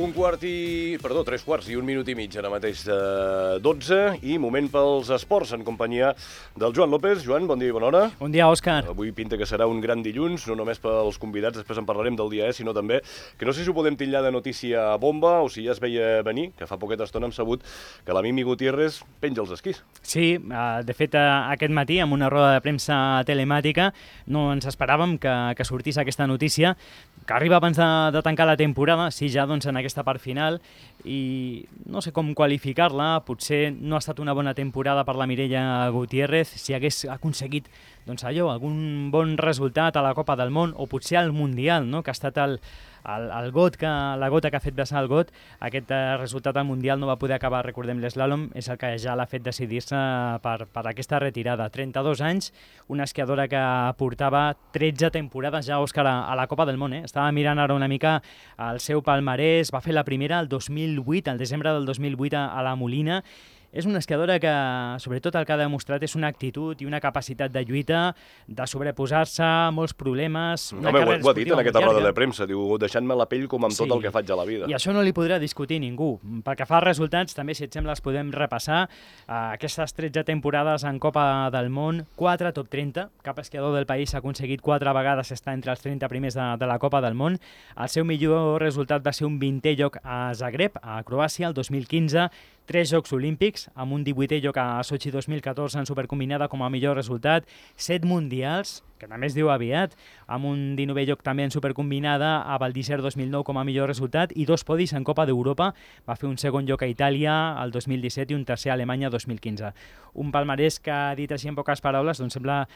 3 quarts i un minut i mig, ara mateix de 12, i moment pels esports, en companyia del Joan López. Joan, bon dia i bona hora. Bon dia, Òscar. Avui pinta que serà un gran dilluns, no només pels convidats, després en parlarem del dia, sinó també, que no sé si ho podem titllar de notícia bomba o si ja es veia venir, que fa poqueta estona hem sabut que la Mimi Gutiérrez penja els esquís. Sí, de fet, aquest matí, amb una roda de premsa telemàtica, no ens esperàvem que sortís aquesta notícia, que arriba abans de tancar la temporada, sí, ja doncs, en aquesta part final, i no sé com qualificar-la, potser no ha estat una bona temporada per la Mireia Gutiérrez, si hagués aconseguit doncs allò, algun bon resultat a la Copa del Món, o potser al Mundial, no?, que ha estat la gota que ha fet vessar el got. Aquest resultat al Mundial no va poder acabar, recordem, l'eslàlom, és el que ja l'ha fet decidir-se per aquesta retirada. 32 anys, una esquiadora que portava 13 temporades ja, Òscar, a la Copa del Món. Estava mirant ara una mica el seu palmarès, va fer la primera el 2008, al desembre del 2008 a la Molina. És una esquiadora que, sobretot, el que ha demostrat és una actitud i una capacitat de lluita, de sobreposar-se a molts problemes. Ho ha dit en aquesta roda de premsa, diu, deixant-me la pell com amb tot el que faig a la vida. I això no li podrà discutir ningú. Pel que fa als resultats, també, si et sembla, els podem repassar. Aquestes 13 temporades en Copa del Món, 4 top 30. Cap esquiador del país ha aconseguit 4 vegades estar entre els 30 primers de la Copa del Món. El seu millor resultat va ser un 20è lloc a Zagreb, a Croàcia, el 2015, 3 Jocs Olímpics, amb un 18è lloc a Sochi 2014 en supercombinada com a millor resultat, 7 mundials, que també es diu aviat, amb un 19è lloc també en supercombinada a Val d'Isère 2009 com a millor resultat i 2 podis en Copa d'Europa. Va fer un segon lloc a Itàlia el 2017 i un tercer a Alemanya 2015. Un palmarès que, dit així en poques paraules, doncs sembla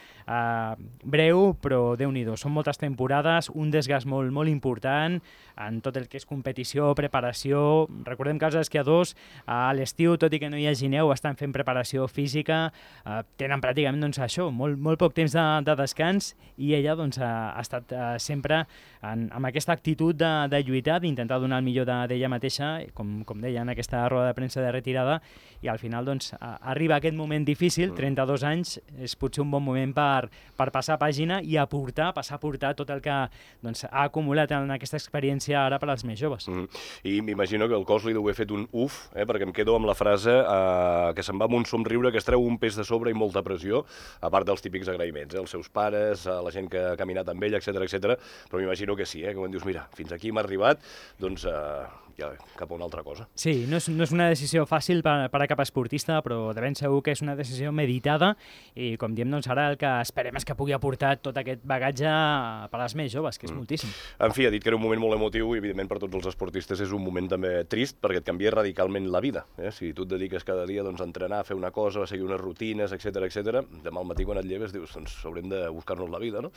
breu, però Déu-n'hi-do. Són moltes temporades, un desgast molt, molt important en tot el que és competició, preparació. Recordem que els esquiadors a l'estiu, tot i que no hi hagi neu, estan fent preparació física, tenen pràcticament doncs, això, molt poc temps de descans, i ella doncs, ha estat sempre amb aquesta actitud de lluitar, d'intentar donar el millor d'ella mateixa, com deia en aquesta roda de premsa de retirada, i al final doncs, arriba aquest moment difícil, 32 anys, és potser un bon moment per passar pàgina i passar a portar tot el que doncs, ha acumulat en aquesta experiència ara per als més joves. I m'imagino que el cos li deu haver fet un uf, perquè em quedo amb la frase que se'n va amb un somriure, que es treu un pes de sobre i molta pressió, a part dels típics agraïments, els seus pares, a la gent que ha caminat amb ell, etc. Però m'imagino que sí, que quan dius, mira, fins aquí m'ha arribat, doncs ja cap a una altra cosa. Sí, no és una decisió fàcil per a cap esportista, però de ben segur que és una decisió meditada i, com diem, doncs ara el que esperem és que pugui aportar tot aquest bagatge per als més joves, que és moltíssim. En fi, ha dit que era un moment molt emotiu i, evidentment, per tots els esportistes és un moment també trist perquè et canvia radicalment la vida. Si tu et dediques cada dia doncs, a entrenar, a fer una cosa, a seguir unes rutines, etc. Demà al matí quan et lleves dius, doncs haurem de buscar-nos la vida, no?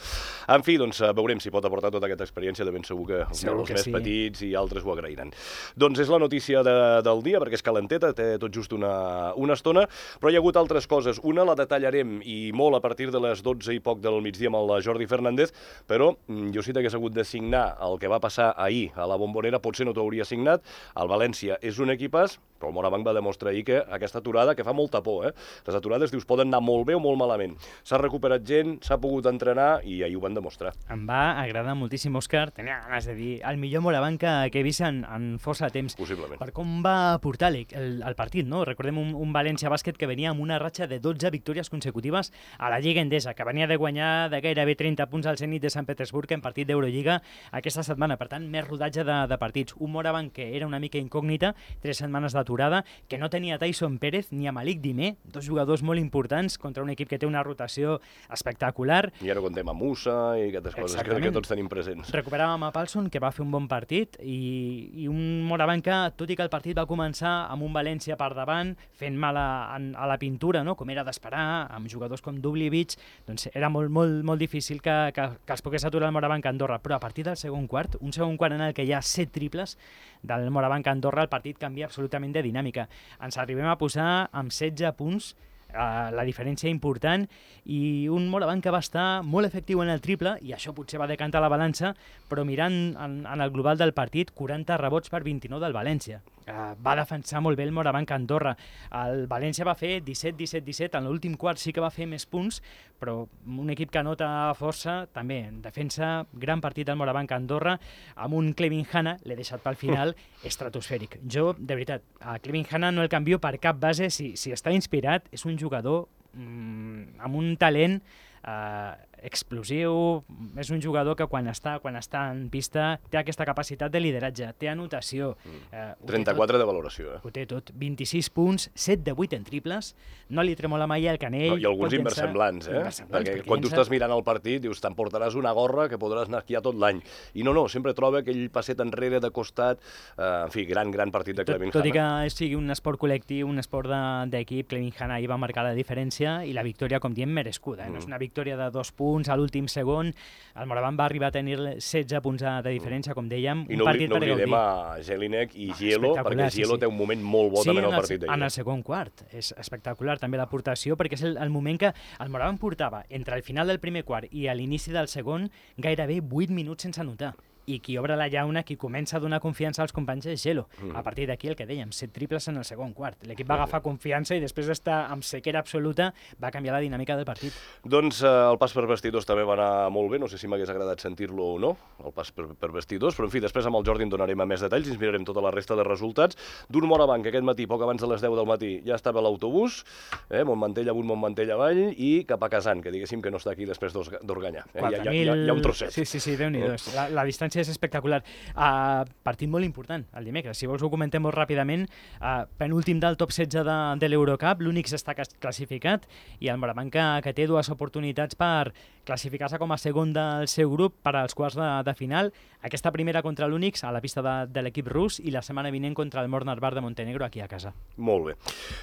En fi, doncs veurem si pot aportar tota aquesta experiència, de ben segur que els més petits i altres ho agrairan. Doncs és la notícia del dia, perquè és calenteta, té tot just una estona, però hi ha hagut altres coses. Una la detallarem i molt a partir de les 12 i poc del migdia amb el Jordi Fernández, però jo sí que hagués hagut de signar el que va passar ahir a la Bombonera, potser no t'ho hauria signat. El València és un equipàs, però el Morabanc va demostrar ahir que aquesta aturada, que fa molta por, les aturades, dius, poden anar molt bé o molt malament. S'ha recuperat gent, s'ha pogut entrenar i ahir ho van demostrar. Em va agradar moltíssim, Òscar. Tenia ganes de dir el millor Morabanc que he vist en força temps. Possiblement. Per com va portar el partit, no? Recordem un València Bàsquet que venia amb una ratxa de 12 victòries consecutives a la Lliga Endesa, que venia de guanyar de gairebé 30 punts al Zenit de Sant Petersburg en partit d'Eurolliga aquesta setmana. Per tant, més rodatge de partits. Un Morabanc que era una mica incògnita, 3 setmanes d'aturada, que no tenia Tyson Pérez ni a Malik Dimé, 2 jugadors molt importants contra un equip que té una rotació espectacular. I ara contem amb Musa i aquestes coses que tots tenim presents. Recuperàvem a Paulson, que va fer un bon partit, i un Morabanc que, tot i que el partit va començar amb un València per davant, fent mal a la pintura, no? Com era d'esperar, amb jugadors com Dubljevic, doncs era molt difícil que es pogués aturar el Morabanc a Andorra. Però a partir del segon quart, un segon quart en el que hi ha 7 triples del Morabanc a Andorra, el partit canvia absolutament de dinàmica. Ens arribem a posar amb 16 punts, la diferència important, i un Morabanc que va estar molt efectiu en el triple, i això potser va decantar la balança, però mirant en el global del partit, 40 rebots per 29 del València. va defensar molt bé el Morabanc Andorra. El València va fer 17-17-17, en l'últim quart sí que va fer més punts, però un equip que nota força, també en defensa, gran partit del Morabanc Andorra, amb un Clevin Hanna, l'he deixat pel final, estratosfèric. Jo, de veritat, a Clevin Hanna no el canvio per cap base, si està inspirat, és un jugador amb un talent explosiu, és un jugador que quan està en pista té aquesta capacitat de lideratge, té anotació. 34 de valoració. Ho té tot, 26 punts, 7 de 8 en triples, no li tremola mai el canell. I alguns inversemblants, perquè quan tu estàs mirant el partit dius, t'emportaràs una gorra que podràs anar a esquiar tot l'any. I no, sempre troba aquell passet enrere de costat, en fi, gran partit de Clevin Hanna. Tot i que sigui un esport col·lectiu, un esport d'equip, Clevin Hanna ahir va marcar la diferència i la victòria, com diem, merescuda. No és una victòria de 2 punts a l'últim segon. El Morabanc va arribar a tenir 16 punts de diferència, com dèiem. I no oblidem a Jelinek i Gielo, perquè Gielo té un moment molt bo també en el partit d'ahir. En el segon quart. És espectacular també l'aportació, perquè és el moment que el Morabanc portava entre el final del primer quart i a l'inici del segon gairebé 8 minuts sense anotar. I qui obre la llauna, qui comença a donar confiança als companys és Gelo. A partir d'aquí, el que dèiem, 7 triples en el segon quart. L'equip va agafar confiança i després d'estar amb sequera absoluta va canviar la dinàmica del partit. Doncs el pas per vestidors també va anar molt bé, no sé si m'hagués agradat sentir-lo o no, el pas per vestidors, però en fi, després amb el Jordi en donarem més detalls, ens mirarem tota la resta de resultats. D'un Morabanc, aquest matí, poc abans de les 10 del matí, ja estava a l'autobús, Montmantell amunt, Montmantell avall, i cap a Casan, que diguéssim que no està aquí després d'Organyà. Hi ha un trosset. Sí, Déu-n'hi-do. La distància és espectacular. Partit molt important, el dimecres. Si vols ho comentem molt ràpidament. Penúltim del top 16 de l'Eurocup, l'únic està classificat, i el Morabanc que té 2 oportunitats per classificar-se com a segon del seu grup per als quarts de final. Aquesta primera contra l'Unix a la pista de l'equip rus i la setmana vinent contra el Mornar Bar de Montenegro aquí a casa. Molt bé.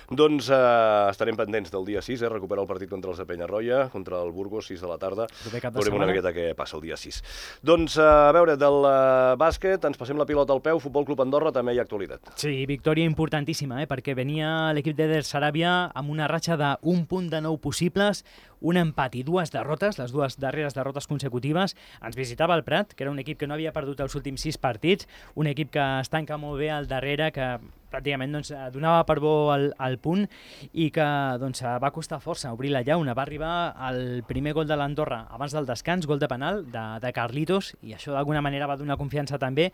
Doncs estarem pendents del dia 6, recuperar el partit contra els de Penyarroia, contra el Burgos, 6 de la tarda. Veurem una miqueta què passa el dia 6. Doncs a veure, del bàsquet ens passem la pilota al peu, Futbol Club Andorra també hi ha actualitat. Sí, victòria importantíssima, perquè venia l'equip d'Eder Saràbia amb una ratxa d'un punt de 9 possibles, un empat i 2 derrotes, les 2 darreres derrotes consecutives. Ens visitava el Prat, que era un equip que no havia perdut els últims 6 partits, un equip que es tanca molt bé al darrere, que pràcticament donava per bo el punt i que va costar força obrir la llauna. Va arribar el primer gol de l'Andorra abans del descans, gol de penal de Carlitos, i això d'alguna manera va donar confiança també.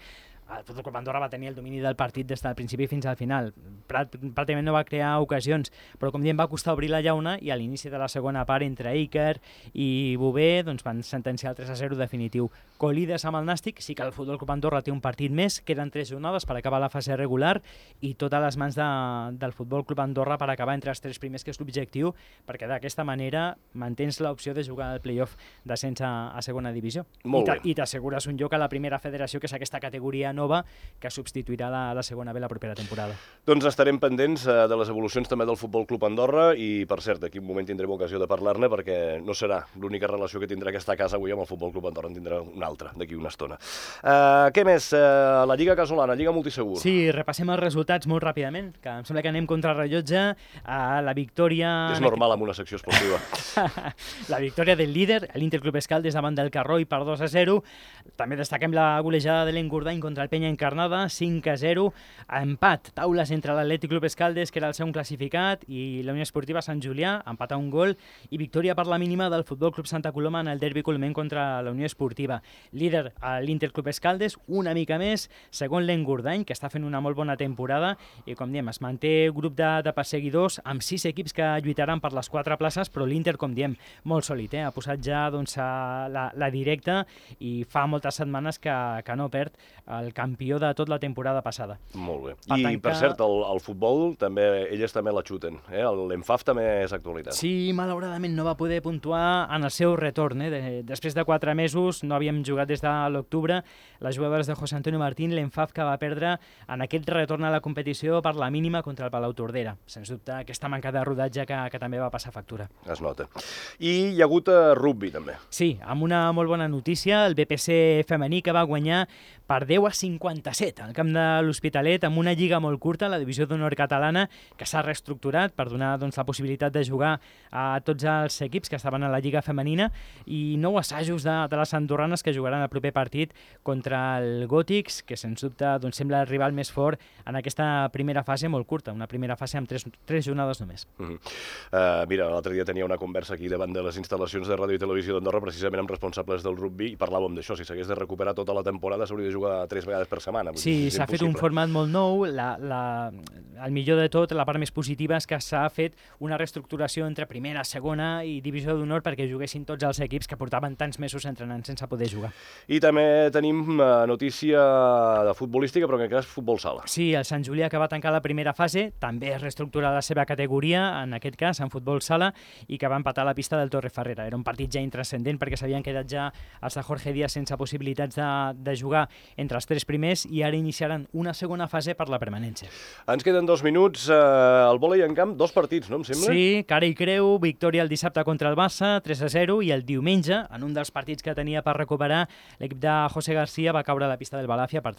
El Futbol Club Andorra va tenir el domini del partit des del principi fins al final. Pràcticament no va crear ocasions, però com diem va costar obrir la llauna i a l'inici de la segona part entre Iker i Bové van sentenciar el 3-0 definitiu. Colides amb el Nàstic, sí que el Futbol Club Andorra té un partit més, queden 3 jornades per acabar la fase regular i tot a les mans del Futbol Club Andorra per acabar entre els 3 primers, que és l'objectiu, perquè d'aquesta manera mantens l'opció de jugar al play-off d'ascens a segona divisió. I t'assegures un lloc a la primera federació, que és aquesta categoria nova que substituirà la segona B la propera temporada. Doncs estarem pendents de les evolucions també del Futbol Club Andorra i, per cert, d'aquí un moment tindrem ocasió de parlar-ne perquè no serà l'única relació que tindrà aquesta casa avui amb el Futbol Club Andorra, en tindrà una altra d'aquí una estona. Què més? La Lliga Casolana, Lliga Multisegur. Sí, repassem els resultats molt ràpidament, que em sembla que anem contra el rellotge. La victòria... És normal amb una secció esportiva. La victòria del líder, l'Interclub Escaldes davant del Carroi per 2-0. També destaquem la golejada de l'Engordany contra el Penya Encarnada, 5-0. Empat, taules entre l'Atlètic Club Escaldes, que era el segon classificat, i la Unió Esportiva Sant Julià, empat a un gol, i victòria per la mínima del Futbol Club Santa Coloma en el derbi colomenc contra la Unió Esportiva. Líder a l'Interclub Escaldes, una mica més, segon l'Engordany, que està fent una molt bona temporada, i com diem, es manté grup de perseguidors amb 6 equips que lluitaran per les 4 places, però l'Inter, com diem, molt sòlid, ha posat ja la directa i fa moltes setmanes que no perd el campió de tota la temporada passada. Molt bé. Per cert, el futbol, també elles també la xuten. L'Enfaf també és actualitat. Sí, malauradament no va poder puntuar en el seu retorn. Després de 4 mesos, no havíem jugat des de l'octubre, les jugadores de José Antonio Martín, l'Enfaf que va perdre en aquest retorn a la competició per la mínima contra el Palau Tordera. Sens dubte, aquesta manca de rodatge que també va passar factura. Es nota. I hi ha hagut rugby, també. Sí, amb una molt bona notícia, el BPC femení que va guanyar per 10-57 al camp de l'Hospitalet, amb una lliga molt curta, la divisió d'honor catalana, que s'ha reestructurat per donar la possibilitat de jugar a tots els equips que estaven a la lliga femenina, i 9 assajos de les andorranes, que jugaran el proper partit contra el Gòtics, que sens dubte sembla el rival més fort en aquesta primera fase molt curta, una primera fase amb 3 jornades només. Mira, l'altre dia tenia una conversa aquí davant de les instal·lacions de ràdio i televisió d'Andorra, precisament amb responsables del rugby, i parlàvem d'això, si s'hagués de recuperar tota la temporada s'hauria de jugar 3 vegades per setmana. Sí, s'ha fet un format molt nou, el millor de tot, la part més positiva és que s'ha fet una reestructuració entre primera, segona i divisió d'honor perquè juguessin tots els equips que portaven tants mesos entrenant sense poder jugar. I també tenim notícia de futbolística, però en aquest cas futbol sala. Sí, el Sant Julià, que va tancar la primera fase, també es reestructura la seva categoria, en aquest cas en futbol sala, i que va empatar a la pista del Torrefarrera. Era un partit ja intranscendent perquè s'havien quedat ja els de Jorge Díaz sense possibilitats de jugar entre els 3 primers, i ara iniciaran una segona fase per la permanència. Ens queden 2 minuts. El vòlei en camp, 2 partits, no em sembla? Sí, cara i creu, victòria el dissabte contra el Barça, 3-0, i el diumenge, en un dels partits que tenia per recuperar, l'equip de José García va caure a la pista del Balàfia per